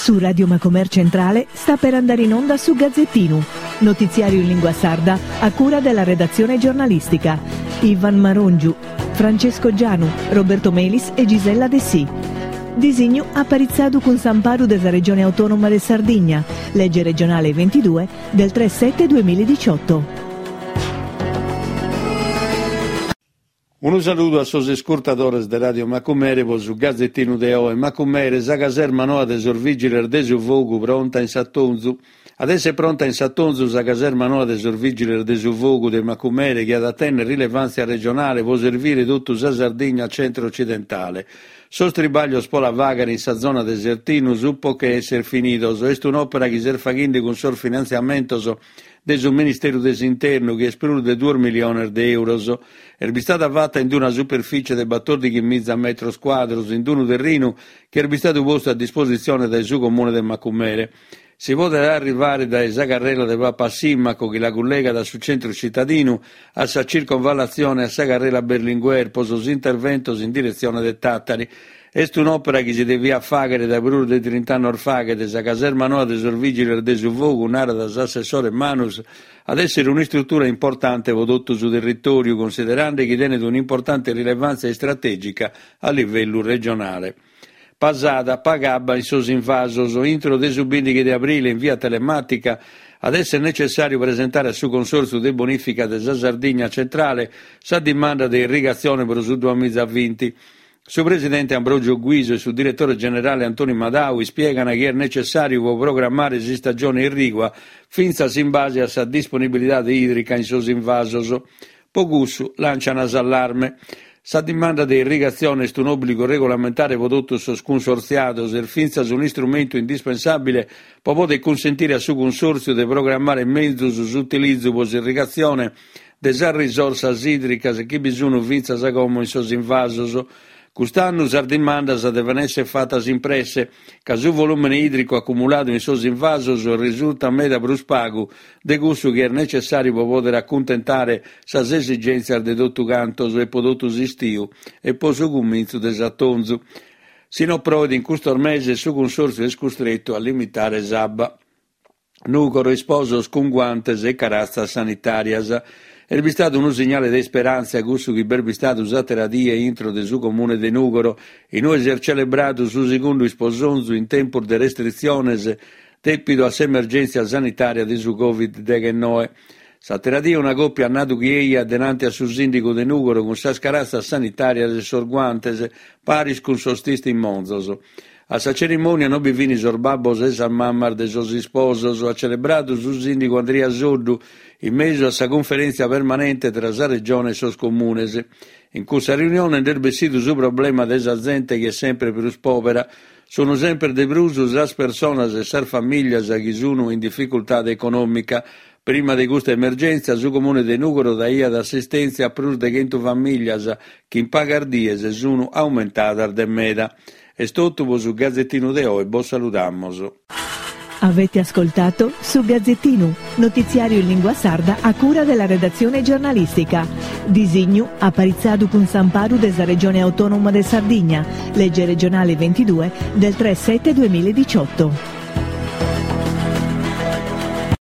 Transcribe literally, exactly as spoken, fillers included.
Su Radio Macomer Centrale sta per andare in onda su Gazzettinu, notiziario in lingua sarda a cura della redazione giornalistica. Ivan Marongiu, Francesco Gianu, Roberto Melis e Gisella Dessì. Disignu aparitzadu cun s'amparu de sa Regione Autonoma de Sardigna, legge regionale ventidue del tre sette duemiladiciotto. Unu saludu a sos iscurtadores de Radio Macumere pro su Gazzettinu de oe. Macumere, sa caserma noa de sos Vigiles de su Fogu pronta in s'atonzu. At essere pronta in s'atonzu sa caserma noa de sos Vigiles de su Fogu de Macumere, chi at a tennere rilevantzia regionale pro servire totu sa Sardigna centro-occidentale. Sos tribaglios pro la faghere in sa zona de Sertinu sunt po che essere finidos. Est un'opera chi s'est faghende cun sos finantziamentos de su Ministeru de s'Internu, chi est prus de duos miliones de euros. Est bistada fatta in una superficie de battordighi miza metros quadros, in unu terrinu chi est bistadu postu a dispositzione dae su Comune de Macumere. Si podet arrivare dae sa carrela de Papa Simmaco, chi la collegat a su centro cittadino, a sa circonvallazione e a sa carrela Berlinguer pro sos interventos in direzione de Tàtari. Est un'opera chi si deviat faghere dae prus de trint'annos faghet. Sa caserma noa de sos Vigiles de su Fogu, narat s'assessore Manus, at essere un'istruttura importante pro totu su territoriu, considerande chi tenet un'importante rilevanza istrategica a livellu regionale. Pasada paga abba in sos invasos. Intro de su bindighi de aprile, in via telematica, at essere necessariu presentare a su Consorziu de Bonifica de sa Sardigna Centrale sa dimanda de irrigazione pro su duamizavinti. Su presidente Ambrogio Guiso e su direttore generale Antoni Madau ispiegano che è necessario programmare s'istagione irrigua fintzas in base a sa disponibilidade idrica in sos invasos. Po cussu lanciana s'allarme. Sa dimanda de irrigazione est un obbligo regolamentare pro totus sos consorziados e fintzas un istrumentu indispensabile pro poder consentire a su consorzio de programmare menzus s'utilizzu pro s'irrigazione de sas risorsas idricas chi bi sunu fintzas como in sos invasos. Cust'annu sas dimandas deven essere fattas in presse, ca su volumene idrico accumuladu in sos invasos risulta meda prus pagu de cussu chi est necessariu pro poder accuntentare sas esigentzias de totu cantos e pro totu s'istiu e pro su cumintzu de s'atonzu. Si no proet in custos meses, su consorzio est custrettu a limitare s'abba. Nugoro isposos cun guantes e caratzas sanitarias. Est bistadu unu signale de isperantzia cussu chi b'est bistadu s'atera die intro de su comune de Nugoro, inue si est celebradu su segundu isposonzu in tempus de restritziones depidu a s'emergentzia sanitaria de su Covid deghennoe. S'atera die una coppia ha nadu chi eia denante a su sindigu de Nugoro cun sas caratzas sanitarias e sos guantes, paris cun sos tistimonzos. A sa cerimonia non bi fini sos babbos e sas mammas de sos isposos, ha celebradu su sindigu Andria Soddu in mesu a sa conferentzia permanente tra sa regione e sos comunes. In cussa riunione nd'est bessidu su problema de sa zente chi est sempre prus povera. Sono sempre de prus sas personas e sas familias chi sono in difficultade economica. Prima de custa emergenza, su comune de Nugoro daiat assistenza a prus de chentu familias chi in pagas dies sono aumentadas de meda. Est totu pro su Gazzettinu de oe, bos saludamos. Avete ascoltato su Gazzettinu, notiziario in lingua sarda a cura della redazione giornalistica. Disignu aparitzadu cun s'amparu de sa Regione Autonoma de Sardigna, legge regionale ventidue del tre sette duemiladiciotto.